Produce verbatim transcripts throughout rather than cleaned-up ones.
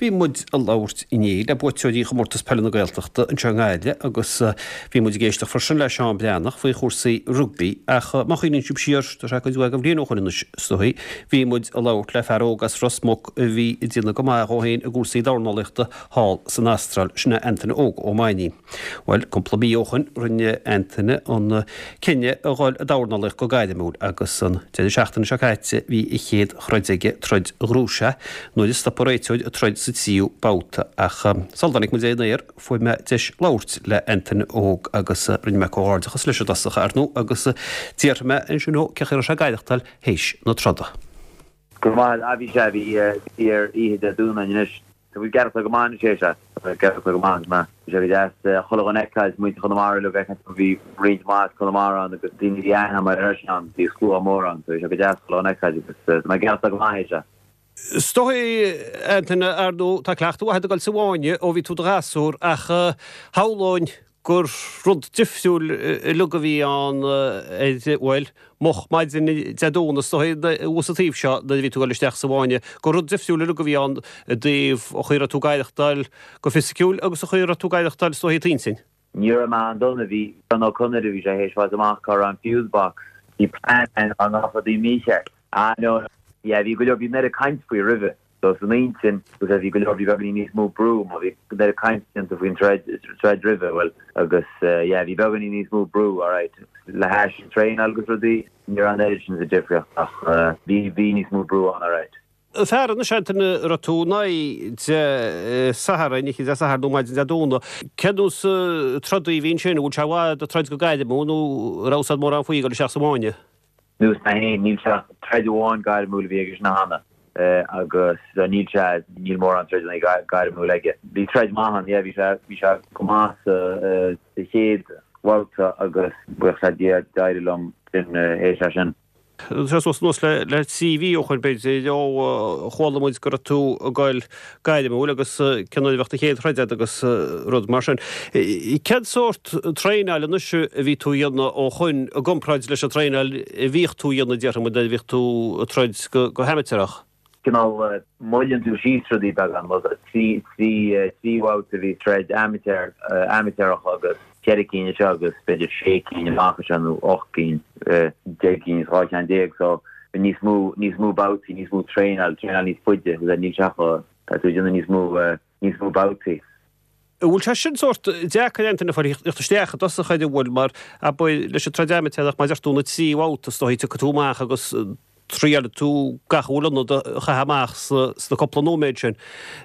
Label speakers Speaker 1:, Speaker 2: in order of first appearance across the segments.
Speaker 1: Bhí muid ag labhairt inné le buaiteoirí Chomórtas Peile na Gaeltachta anseo i nGaillimh agus bhí muid ag éisteacht freisin le Seán Breathnach faoi chúrsaí rugbaí ach má chuimhníonn sibh siar, tá sé cuid mhaith de bhliain ó shoin anois is dóigh, bhí muid ag labhairt le fear óg as Ros Muc a bhí ag déanamh go maith dhó féin i gcúrsaí dornálaíochta thall san Astráil, sin é Antaine Óg Ó Mainnín. Bhuel, cúpla mí ó shoin rinne Antaine an cinneadh a dhul ag dornálaíocht go gairmiúil agus an deireadh seachtaine seo caite bhí a chéad throid aige, troid ghnúise, nuair a stop an réiteoir an troid sa tríú babhta. Ach sula dtáinig muid ar an aer fuair mé deis labhairt le Antaine Óg agus rinne mé comhghairdeachas leis i dtosach, ar ndóigh, agus d'fhiafraigh mé ansin dhó cén chaoi a raibh sé ag aireachtáil théis na troda.
Speaker 2: Go raibh maith agat. Bhí sé, bhí ar oíche Dé Domhnaigh anois. Tá muid ag aireachtáil go maith anois é sea. Tá muid ag aireachtáil go maith agus bhí sé go deas chuile dhuine a fheiceáil, muintir Chonamara uilig a fheiceáil, bhí roinnt mhaith as Conamara ann agus daoine a bhí aithne agam orthu freisin ann, bhí slua mór ann so bhí sé go deas chuile dhuine a fheiceáil agus tá mé ag aireachtáil go maith é sea.
Speaker 1: Is dóigh, Antaine, ar ndóigh, tá cleachtadh mhaith agat ag dul sa bhfáinne ó bhí tú i do ghasúr ach shamhlóinn gur rud difriúil uilig a bhí ann ar, bhuel, moch maidin Dé Domhnaigh is dóigh thuas an taobh seo nuair a bhí tú ag dul isteach sa bhfáinne, gur rud difriúil uilig a bhí ann i dtaobh an chaoi a raibh tú ag aireachtáil go fisiciúil agus an chaoi a raibh tú ag aireachtáil is dóigh i d'intinn.
Speaker 2: Ní raibh mé an-dona, bhí Seán Ó Conaire, bhí sé théis fáilt amach cá raibh an fuse box, bhí plean ann dá ngabhfadh rudaí mícheart. Ah no, no, yeah, bhí go leor, bhí an oiread caint faoi roimhe. So san intinn agus bhí go leor, bhí beagáinín níos mó brú mar bhí an oiread caint déanta faoin troid, troid roimhe, bhuel agus yeah bhí beagáinín níos mó brú alright le hais an traenáil agus rudaí, ní raibh an oiread sin de difríocht ach bhí, bhí níos mó brú ann alright.
Speaker 1: Fear anois Antaine a raibh tú in aghaidh Dé Sathairn, oíche Dé Sathairn nó maidin Dé Domhnaigh, cén nós trodaí a bhí ansin, an bhfuil sé i bhfad ag troid go gairmiúil nó an raibh a fhios agat mórán faoi ag dul isteach sa bhfáinne?
Speaker 2: Nós mé féin, níl sé ach troid amháin gairmiúil a bhí aige sin cheana agus níl sé, níl mórán troideanna gairmiúil aige. Bhí troid maith ann, yeah, bhí sé, bhí sé go maith sa chéad bhabhta agus buíochas le Dia d'éirigh liom sin théis é sin.
Speaker 1: Tá sé suas anuas le le trí mhí ó shoin b'fhéidir ó chuala muid go raibh tú ag goil gairmiúil agus cén uair a bheadh do chéad throid agat agus rud mar sin. Cén sórt traenáil anois a bhí tú a dhéanamh ó shoin i gcomparáid leis an traenáil a bhíodh tú a dhéanamh déarfaidh muid nuair a bhíodh tú ag troid go go hamaitéarach?
Speaker 2: Cineál moilleann tú síos rudaí beagán, trí trí trí bhabhta a bhí troid amaitéar amaitéarach agus ceithre cinn anseo agus b'fhéidir sé cinn amach anseo nó ocht gcinn, deich gcinn is dhá cheann déag so níos mó, níos mó babhtaí, níos mó traenáil, traenáil níos faide agus níl sé ach, tá tú ag déanamh níos mó, níos mó babhtaí.
Speaker 1: An bhfuil sé sin sórt deacair Antaine a theacht isteach i dtosach air an bhfuil mar abair leis an troid amaitéarach mar a deir tú na trí bhabhta is dóigh tiocfaidh tú amach agus triailfidh tú gach a bhfuil ionat a chaitheamh amach sna cúpla nóiméad sin.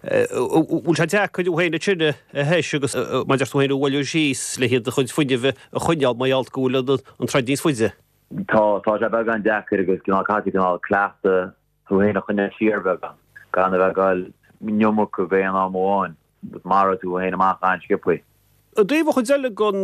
Speaker 1: Bhfuil sé deacair thú féin ansin a thomhas agus, mar a deir tú féin, a bhualadh síos le do chuid fuinnimh a choinneáil mar gheall go bhfuil an troid níos faide?
Speaker 2: Tá, tá sé beagán deacair agus cineál caithfidh tú cineál cleachtadh thú féin a choinneáil siar beagán, gan a bheith ag goil an iomarca ag aon am amháin. Maróidh tú féin amach an-sciobthaí.
Speaker 1: I dtaobh an chuid eile den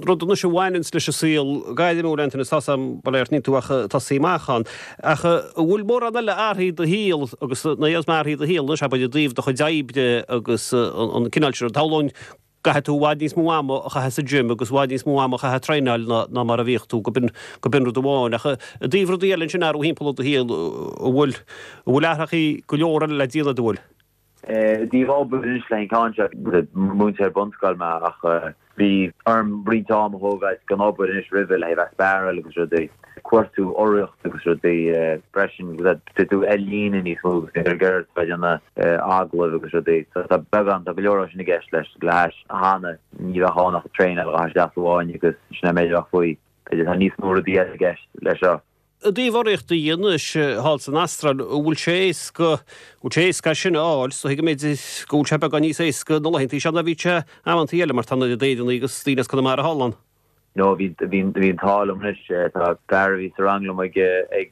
Speaker 1: rud anois a bhaineanns leis an saol gairmiúil, Antaine, tá 's a'm, bail ó Dhia ort, níl tú ach ag tosaí amach ann, ach an bhfuil mórán eile athraithe i do shaol agus nuair a déarfas mé athraithe i do shaol anois, abair, i dtaobh do chuid oibre agus an cineál sin, shamhlóinn go gcaithfidh tú i bhfad níos mó ama a chaitheamh sa gym agus i bhfad níos mó ama a chaitheamh ag traenáil ná ná mar a bhíodh tú, go b'in go b'in rud amháin. Ach i dtaobh rudaí eile ansin athrú thimpeall i do shaol, an bhfuil an bhfuil athrachaí go leor eile le déanamh, an bhfuil?
Speaker 2: I dtaobh obair anois le an ceann seo, múinteoir bunscoile mé ach bhí orm roinnt am a thógáil gan obair anois roimhe le bheith sparáil agus rudaí, cuartú urraíocht agus rudaí freisin agus tá tú ar líne níos mó agus ag iarraidh bheith ag déanamh agallaimh agus rudaí. So tá beagán, tá go leor sin i gceist leis, le hais cheana ní bheadh ann ach traenáil a ghabháil isteach sa bhfáinne agus sin é an méid a bheadh faoi. B'fhéidir tá níos mó rudaí eile i gceist leis seo.
Speaker 1: I dtaobh urraíocht a dhéanamh anois thall san Astráil, an bhfuil sé éasca, an bhfuil sé éasca é sin a fháil? Is dóigh go mb'fhéidir go bhfuil sé beagán níos éasca na laethantaí seo ná bhí sé amantaí eile mar tá an oiread Éireannaigh agus daoine as Conamara thall ann.
Speaker 2: No, bhí, bhí, bhí an t-ádh liom anois. Tá fear a bhí sa rang liom ag, ag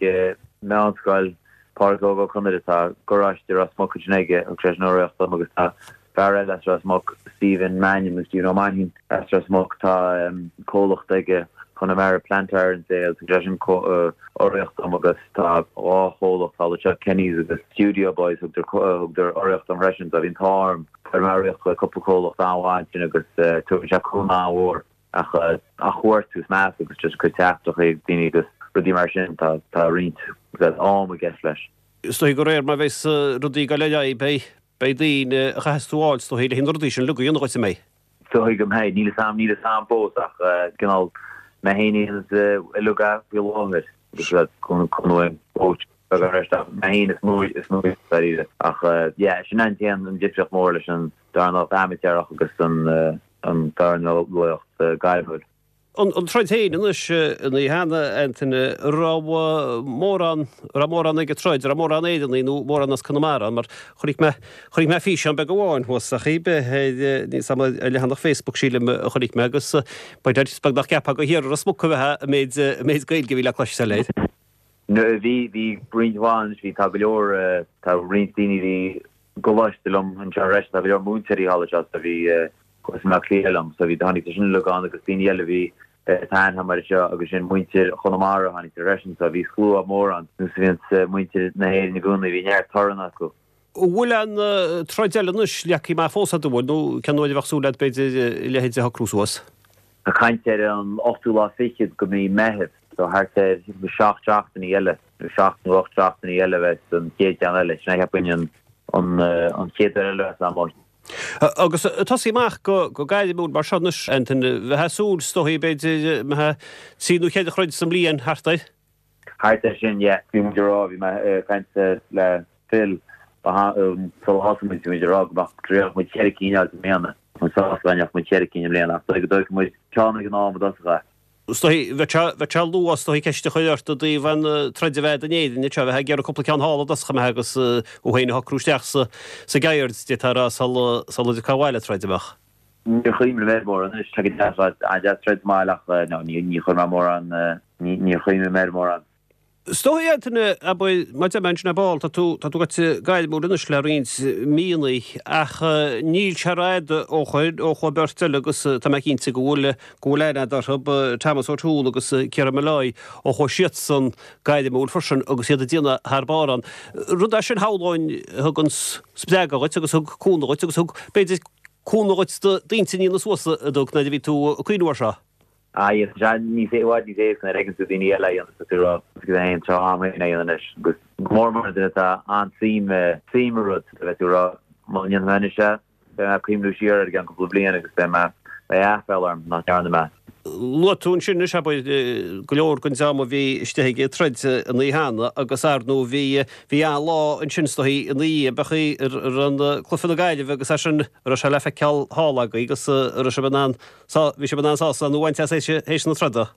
Speaker 2: meánscoil, Pádraig Óg Ó Conaire, tá garáiste i Ros Muc ansin aige, thug seisean urraíocht dom agus tá fear eile as Ros Muc, Stephen Mannion nó Stephen Ó Mainnín as Ros Muc, tá comhlacht aige, Connemara Plant Hire and Sales, thug seisean urraíocht dom agus tá dhá chomhlacht thall anseo, Kenny's agus Studio Boys, thugadar urraíocht dom freisin. So bhí an t-ádh orm, fuair mé urraíocht ó cúpla comhlacht an-mhaith ansin agus tugann sé cúnamh an-mhór ach a chuartú is meas agus just cur teachtaireachtaí chuig daoine agus rudaí mar sin, tá roinnt am i gceist leis.
Speaker 1: Is dóigh de réir mar a bheas rudaí ag dul ar aghaidh beidh beidh daoine a chaithfeas tú a fháil is dóichí le haghaidh na rudaí sin uilig a dhéanamh dhuit, an mbeidh?
Speaker 2: Is dóigh go mbeidh, níl a fhios a'm, níl a fhios a'm fós ach cineál mé féin a dhéanas uilig é faoi láthair agus cúnamh uaim coach beag ar ach mé féin is mó is mó dáiríre ach yeah sin an t-aon an difríocht mór leis an dornálaíocht amaitéarach agus an an dornálaíocht gairmiúil.
Speaker 1: An troid féin anois an oíche cheana, Antaine, raibh mórán, raibh mórán ag an troid, raibh mórán Éireannaigh nó mórán as Conamara ann mar chonaic mé, chonaic mé físeán beag amháin thuas ach í bith ar, níl 's a'm ar leathanach Facebook sílim a chonaic mé agus b'fhéidir is beag nach gceapfá gur thiar i Ros Muc a bheifeá an méid, an méid Gaeilge a bhí le cloisteáil air.
Speaker 2: No, bhí, bhí roinnt mhaith anois, bhí, tá go leor, tá roinnt daoine a bhí i gcoláiste liom anseo freisin, tá go leor múinteoirí thall anseo so bhí, Chuas i mBleá Cliath liom so bhí tháinig siad sin uilig ann agus daoine eile a bhí tá aithne agam air seo agus sin muintir Chonamara tháinig siad freisin so bhí slua mór ann nós a bhíonns muintir na hÉireann i gcónaí bhí neart torann acu.
Speaker 1: An bhfuil an troid eile anois leagtha amach fós agat an bhfuil nó cén uair a bheadh súil agat b'fhéidir a leithéid a shocrú suas?
Speaker 2: Tá caint ar an ochtú lá fichead de mhí Meitheamh so thart ar seacht seachtainí eile nó seacht nó ocht seachtainí eile a bheas an chéad cheann eile sin é cheapfainn an an chéad uair eile a bheas ann.
Speaker 1: Agus tosaí amach go gairmiúil mar seo anois, Antaine, bheifeá ag súil, is dóichí, b'fhéidir, mbeadh trí nó ceithre throid sa mbliain thart air?
Speaker 2: Thart air sin, yeah. Bhí muid ag rá, bhí mé ag caint le Phil sular thosaigh muid, bhí muid ag rá go mbeadh, go dtriailfeadh muid ceithre cinn a fháil i mbliana. Tá muid sásta dá ndéanfadh muid ceithre cinn i mbliana ach go dtógfaidh muid ceann ag an am i dtosach é.
Speaker 1: Is dóichí, bheadh sé, bheadh sé luath, is dóichí, ceist a chur ort i dtaobh an troid a bheith in Éirinn anseo, bheifeá ag iarraidh cúpla ceann thall i dtosach an mbeadh agus thú féin a shocrú isteach sa, sa gceird, d'fhéadfá a rá, sula, sula dtiocfá abhaile ag troid, an mbeadh?
Speaker 2: Níor chuimhnigh mé air mórán anois, tá go deas, an-deas troid sa mbaile ach no, ní, ní chuir mé mórán, ní, níor chuimhnigh mé air mórán.
Speaker 1: Is dóichí, Antaine, abair, mar a deir mé ansin ar ball, tá tú, tá tú gaibhte gairmiúil anois le roinnt míonna ach níl sé rófhada ó chuir, ó chuaigh beirt eile agus tá mé cinnte go bhfuil, go bhfuil aithne agat orthu, Thomas O'Toole agus Ciarán Molloy, ó chuaigh siadsan gairmiúil freisin agus iad ag déanamh thar barr ann. Rud é sin shamhlóinn a thug an spreagadh dhuit agus thug cúnamh dhuit agus thug, b'fhéidir, cúnamh dhuit d'intinn a dhéanamh suas a dtug nuair a bhí tú ag cuimhniú air seo.
Speaker 2: Ah yes, tá sé níos i bhfad níos éasca nuair a fheiceann tú daoine eile á dhéanamh tá tú ag rá is go é an tráth am féin é a dhéanamh anois agus go mór mór duine atá an-suim suim i rud a bheith tú ag rá má dhéanfaidh mé anois é beidh mé ag cuimhniú siar air i gceann cúpla bliain agus beidh mé beidh aiféala orm nach ndearna mé.
Speaker 1: Luaigh tú ansin anois abair go leor den dream a bhí istigh ag troid an oíche cheana agus ar ndóigh bhí bhí an-lá ansin is dóichí ina dhiaidh beidh ar an cluiche na Gaillimhe agus é sin a raibh sé le feiceáil thall agaibh agus a raibh sibh in ann Sá, bhí sibh in ann sásamh a bhaint as théis na troda?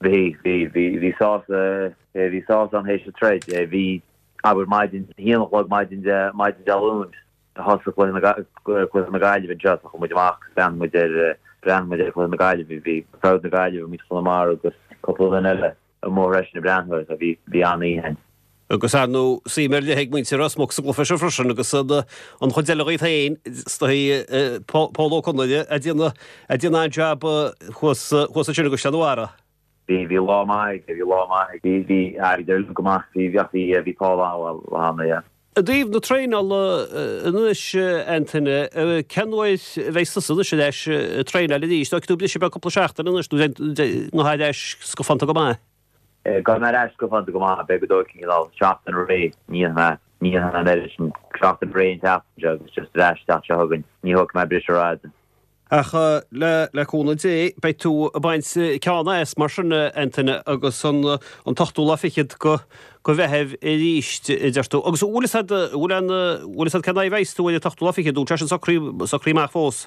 Speaker 2: Bhí, bhí, bhí, bhí sásamh, bhí sásamh ann théis na troid. Bhí, abair, maidin, a haon a chlog maidin Dé, maidin Dé Luain, thosaigh cluiche na, cluiche na Gaillimhe anseo, so chuaigh muid amach agus bhreathnaigh muid ar, bhreathnaigh muid ar chluiche na Gaillimhe. Bhí crowd na Gaillimhe, muintir Chonamara agus cúpla duine eile. amuigh freisin ag breathnú air so bhí bhí an-oíche ann.
Speaker 1: Agus ar ndóigh suim ar leith ag muintir Ros Muc sa gcluiche seo freisin agus an chuid eile dhíot féin is dóichí Pól Ó Conaire ag déanamh ag déanamh an-jab thuas thuas ansin i gCaisleán an Bharraigh.
Speaker 2: Bhí bhí lá maith aige bhí lá maith aige bhí bhí airgead go maith bhí bhí bhí Paul an-mhaith yeah.
Speaker 1: I dtaobh na traenála anois, Antaine, cén uair a bheidh tusa anois ar ais ag traenáil arís? Tógfaidh tú briseadh beag cúpla seachtain anois nó nó ar ais scafánta go maith?
Speaker 2: Gabhfaidh mé ar ais scafánta go maith, beidh go dóigh cineál seachtain réidh, ní dhéanfaidh mé, ní dhéanfaidh mé an oiread sin, seachtain réidh an tseachtain seo agus just ar ais an tseachtain seo chugainn, ní thógfaidh mé briseadh rófhada.
Speaker 1: Ach le cúnamh Dé, beidh tú ag baint ceann as mar sin, a Antaine, agus an t-ochtú lá fichead de Mheitheamh arís, a deir tú. Agus an bhfuil fhios a'd, an bhfuil an, bhfuil fhios a'd cén aghaidh a bheas tú ar an t-ochtú lá fichead, nó tá sin socraithe, socraithe amach fós?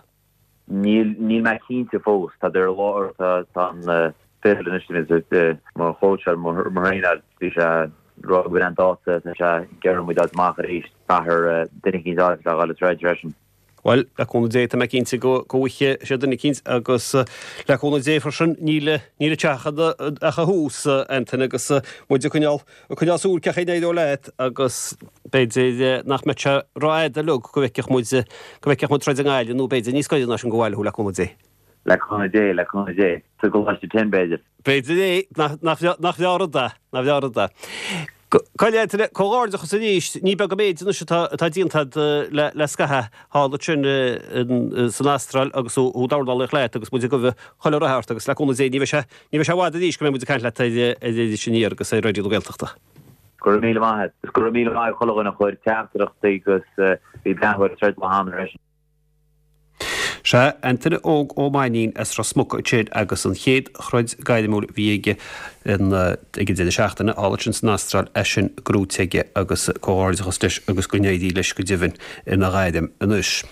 Speaker 2: Níl, níl mé cinnte fós. Tá ar lár, tá, tá an Phil anois, mo chóitseáil, mo thraenáil, bhí sé ag rá go bhfuil an dáta, tá sé ag iarraidh muid a fháil amach arís, caithfear duine eicínt a fháil le dhul ag troid freisin.
Speaker 1: Bhuel, le cúnamh Dé, tá mé cinnte go bhfaighidh sé duine eicínt agus le cúnamh Dé freisin, níl níl an teach ach a thús, Antaine, agus muid ag coinneáil ag coinneáil súil cén chaoi a n-éireoidh leat agus b'fhéidir nach mbeidh sé rófhada uilig go bhfeicfeadh muid go bhfeicfeadh muid troid i nGaillimh nó b'fhéidir níos gaire ná sin go bhaile thú, le cúnamh Dé.
Speaker 2: Le cúnamh Dé, le cúnamh Dé. Sa gColáiste Tin, b'fhéidir.
Speaker 1: B'fhéidir é, nach nach bhreá rud é, nach bhreá rud é. Gabh i leith, a Antaine, comhghairdeachas arís, ní beag an méid anois atá atá déanta agat le le scaitheamh thall ansin san Astráil agus thú ag dornálaíocht leat agus muid ag guí chuile rath ort agus le cúnamh Dé ní bheidh sé ní bheidh sé i bhfad arís go mbeidh muid ag caint leat ar ar Iris Aniar agus ar Raidió na Gaeltachta.
Speaker 2: Go raibh míle maith agat. Go raibh míle maith ag chuile dhuine a chuir teachtaireachtaí agus bhí bean ar troid le hAnna leis.
Speaker 1: Sea, Antaine Óg Ó Mainnín as Ros Muc ansin agus an chéad throid gairmiúil a bhí aige ag an deireadh seachtaine, thall ansin san Astráil, é sin gnóite aige agus comhghairdeachas leis agus go n-éirí leis go deimhin ina ghairm anois.